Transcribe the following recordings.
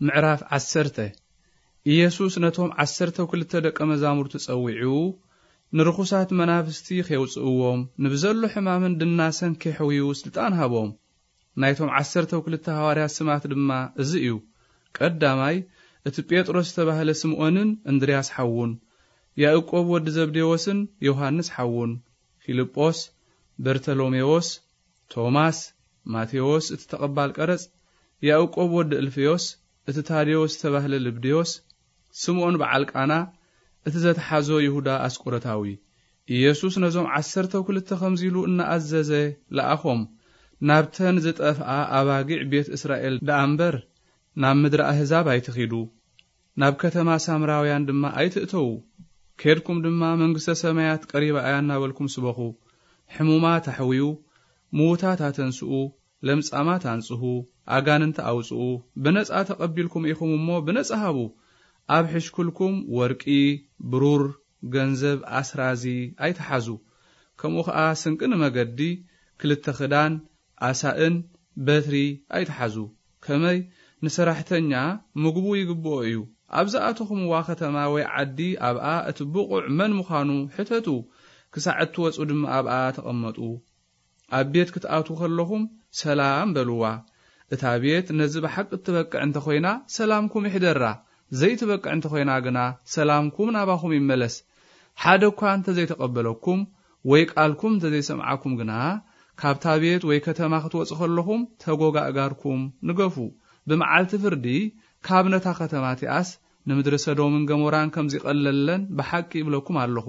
ምዕራፍ ዓሰርተ። ኢየሱስ ነቶም ዓሰርተው ክልተ ደቀ መዛሙርቱ ጸዊዑ፣ ንርኹሳት መናፍስቲ ኼውጽእዎም፣ ንብዘሎ ሕማምን ድናሰን ኬሕውዩ ስልጣን ሃቦም። ናይቶም ዓሰርተው ክልተ ሃዋርያት ስማት ድማ እዚ እዩ። ቀዳማይ፣ እቲ ጴጥሮስ ዝተባህለ ስምዖንን እንድርያስ ሓዉን፣ ያዕቆብ ወዲ ዘብዴዎስን ዮሃንስ ሓዉን፣ ፊልጶስ፣ በርተሎሜዎስ፣ ቶማስ፣ ማቴዎስ እቲ ተቐባል ቀረጽ፣ ያዕቆብ ወዲ እልፍዮስ፣ እቲ ታዴዎስ ዝተባህለ ልብድዮስ፣ ስምዖን በዓል ቃና፣ እቲ ዘተሓዞ ይሁዳ ኣስቆሮታዊ። ኢየሱስ ነዞም ዓሰርተው ክልተ ከምዚ ኢሉ እናኣዘዘ ለኣኾም፣ ናብተን ዝጠፍኣ ኣባጊዕ ቤት እስራኤል ደኣ እምበር፣ ናብ ምድሪ ኣህዛብ ኣይትኺዱ። ናብ ከተማ ሳምራውያን ድማ ኣይትእተዉ። ኬድኩም ድማ መንግስተ ሰማያት ቀሪባ እያ እናበልኩም ስበኹ። ሕሙማት ኣሕውዩ፣ ምዉታት ኣተንስኡ፣ ለምጻማት ኣንጽሁ፣ ኣጋንንቲ ኣውጽኡ፣ ብነጻ ተቐቢልኩም ኢኹም እሞ ብነጻ ሃቡ። ኣብ ሕሽኩልኩም ወርቂ፣ ብሩር፣ ገንዘብ፣ ኣስራዚ ኣይትሓዙ። ከምኡ ኸኣ ስንቂ ንመገዲ፣ ክልተ ክዳን፣ ኣሳእን በትሪ ኣይትሓዙ። ከመይ ንሰራሕተኛ ምግቡ ይግብኦ እዩ። ኣብ ዝኣተኹምዋ ከተማ ወይ ዓዲ ኣብኣ እቲ ብቑዕ መን ምዃኑ ሕተቱ። ክሳዕ እትወጹ ድማ ኣብኣ ተቐመጡ። ኣብ ቤት ክትኣትዉ ከለኹም ሰላም በልዋ። እታ ቤት ነዚ ብሓቂ እትበቅዕ እንተኾይና ሰላምኩም ይሕደራ። ዘይትበቅዕ እንተኾይና ግና ሰላምኩም ናባኹም ይመለስ። ሓደ እኳ እንተዘይተቐበለኩም ወይ ቃልኩም እንተዘይሰምዓኩም ግና ካብታ ቤት ወይ ከተማ ክትወጹ ከለኹም ተጎጋእጋርኩም ንገፉ። ብመዓልቲ ፍርዲ ካብ ነታ ከተማ እቲኣስ ንምድሪ ሰዶምን ገሞራን ከም ዚቐለለን ብሓቂ ይብለኩም ኣለኹ።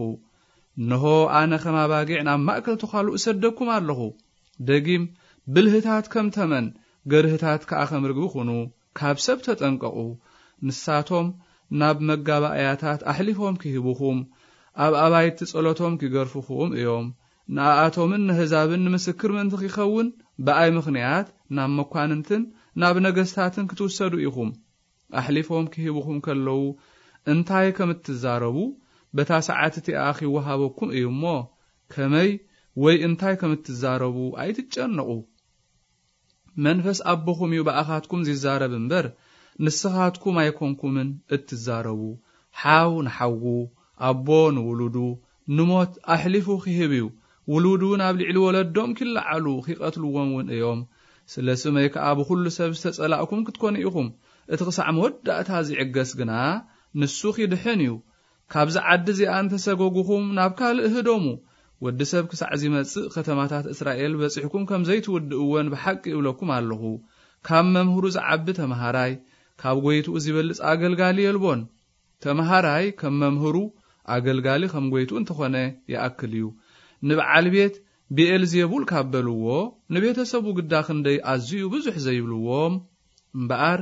እንሆ ኣነ ከም ኣባጊዕ ናብ ማእከል ተዃሉ እሰደኩም ኣለኹ። ደጊም ብልህታት ከም ተመን፣ ገርህታት ከኣ ከም ርግቢ ኩኑ። ካብ ሰብ ተጠንቀቑ። ንሳቶም ናብ መጋባእያታት ኣሕሊፎም ኪህቡኹም፣ ኣብ ኣባይቲ ጸሎቶም ኪገርፉኹም እዮም። ንኣኣቶምን ንህዛብን ንምስክር ምእንቲ ኪኸውን፣ ብኣይ ምኽንያት ናብ መኳንንትን ናብ ነገስታትን ክትውሰዱ ኢኹም። ኣሕሊፎም ኪህቡኹም ከለዉ እንታይ ከም እትዛረቡ፣ በታ ሰዓት እቲኣ ኺወሃበኩም እዩ እሞ፣ ከመይ ወይ እንታይ ከም እትዛረቡ ኣይትጨነቑ። መንፈስ ኣቦኹም እዩ ብኣኻትኩም ዚዛረብ እምበር፣ ንስኻትኩም ኣይኮንኩምን እትዛረቡ። ሓው ንሓዉ፣ ኣቦ ንውሉዱ፣ ንሞት ኣሕሊፉ ኺህብ እዩ። ውሉድ እውን ኣብ ልዕሊ ወለዶም ኪለዓሉ፣ ኺቐትልዎም እውን እዮም። ስለ ስመይ ከኣ ብኹሉ ሰብ ዝተጸላእኩም ክትኮኑ ኢኹም። እቲ ኽሳዕ መወዳእታ ዚዕገስ ግና፣ ንሱ ኺድሕን እዩ። ካብዚ ዓዲ እዚኣ እንተ ሰጎጉኹም፣ ናብ ካልእ ህደሙ። ወዲ ሰብ ክሳዕ ዚመጽእ፣ ከተማታት እስራኤል በጺሕኩም ከም ዘይትውድእወን ብሓቂ እብለኩም ኣለኹ። ካብ መምህሩ ዝዓቢ ተመሃራይ፣ ካብ ጐይትኡ ዚበልጽ ኣገልጋሊ የልቦን። ተመሃራይ ከም መምህሩ፣ ኣገልጋሊ ከም ጐይትኡ እንተኾነ ይኣክል እዩ። ንበዓል ቤት ብኤልዜቡል ካብ በልዎ፣ ንቤተሰቡ ግዳ ክንደይ ኣዝዩ ብዙሕ ዘይብልዎም? እምበኣር፣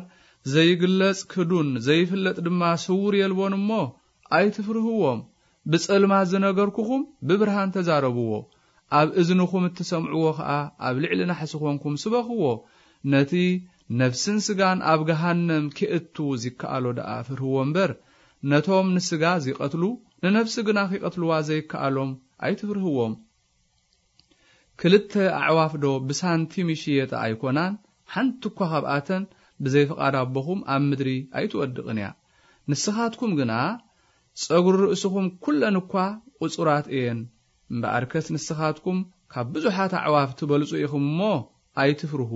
ዘይግለጽ ክዱን ዘይፍለጥ ድማ ስዉር የልቦን እሞ፣ ኣይትፍርህዎም። ብጸልማት ዝነገርኩኹም ብብርሃን ተዛረብዎ። ኣብ እዝንኹም እትሰምዕዎ ኸኣ ኣብ ልዕሊ ናሕሲ ኾንኩም ስበኽዎ። ነቲ ነፍስን ስጋን ኣብ ገሃነም ኬእቱ ዚከኣሎ ደኣ ፍርህዎ እምበር፣ ነቶም ንስጋ ዚቐትሉ፣ ንነፍሲ ግና ኺቐትልዋ ዘይከኣሎም ኣይትፍርህዎም። ክልተ ኣዕዋፍ ዶ ብሳንቲም ይሽየጣ ኣይኮናን? ሓንቲ እኳ ኻብኣተን ብዘይ ፍቓድ ኣቦኹም ኣብ ምድሪ ኣይትወድቕን እያ። ንስኻትኩም ግና ጸጉሪ ርእስኹም ኩለን እኳ ቁጹራት እየን። እምበኣርከስ ንስኻትኩም ካብ ብዙሓት ኣዕዋፍ ትበልጹ ኢኹም እሞ ኣይትፍርሁ።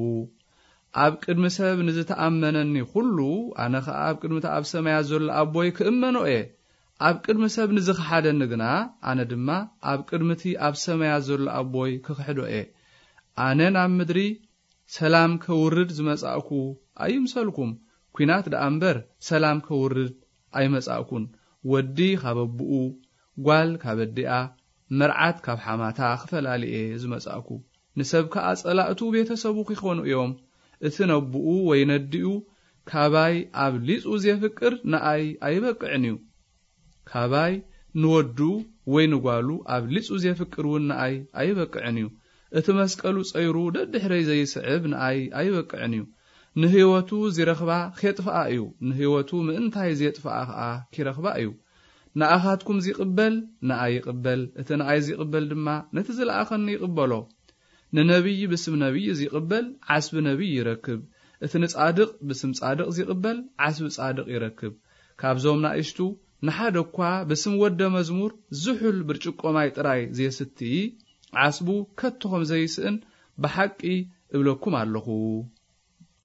ኣብ ቅድሚ ሰብ ንዝተኣመነኒ ኩሉ፣ ኣነ ኸኣ ኣብ ቅድሚ እቲ ኣብ ሰማያት ዘሎ ኣቦይ ክእመኖ እየ። ኣብ ቅድሚ ሰብ ንዝኸሓደኒ ግና፣ ኣነ ድማ ኣብ ቅድሚ እቲ ኣብ ሰማያት ዘሎ ኣቦይ ክኽሕዶ እየ። ኣነ ናብ ምድሪ ሰላም ከውርድ ዝመጻእኩ ኣይምሰልኩም፣ ኲናት ደኣ እምበር ሰላም ከውርድ ኣይመጻእኩን። ወዲ ካብ ኣቦኡ፣ ጓል ካብ ኣዲኣ፣ መርዓት ካብ ሓማታ ክፈላሊ እየ ዝመጻእኩ። ንሰብ ከኣ ጸላእቱ ቤተሰቡ ኪኾኑ እዮም። እቲ ነቦኡ ወይ ነዲኡ ካባይ ኣብሊጹ ዜፍቅር ንኣይ ኣይበቅዕን እዩ። ካባይ ንወዱ ወይ ንጓሉ ኣብሊጹ ዜፍቅር እውን ንኣይ ኣይበቅዕን እዩ። እቲ መስቀሉ ጸይሩ ደድሕረይ ዘይስዕብ ንኣይ ኣይበቅዕን እዩ። ንህይወቱ ዚረኽባ ኼጥፍኣ እዩ፣ ንህይወቱ ምእንታይ ዜጥፍኣ ኸኣ ኪረኽባ እዩ። ንኣኻትኩም ዚቕበል ንኣይ ይቕበል፣ እቲ ንኣይ ዚቕበል ድማ ነቲ ዝለኣኸኒ ይቕበሎ። ንነቢይ ብስም ነቢይ ዚቕበል ዓስቢ ነቢይ ይረክብ፣ እቲ ንጻድቕ ብስም ጻድቕ ዚቕበል ዓስቢ ጻድቕ ይረክብ። ካብዞም ናእሽቱ ንሓደ እኳ ብስም ወደ መዝሙር ዝሑል ብርጭቆ ማይ ጥራይ ዜስቲ ዓስቡ ከቶ ኸም ዘይስእን ብሓቂ እብለኩም ኣለኹ።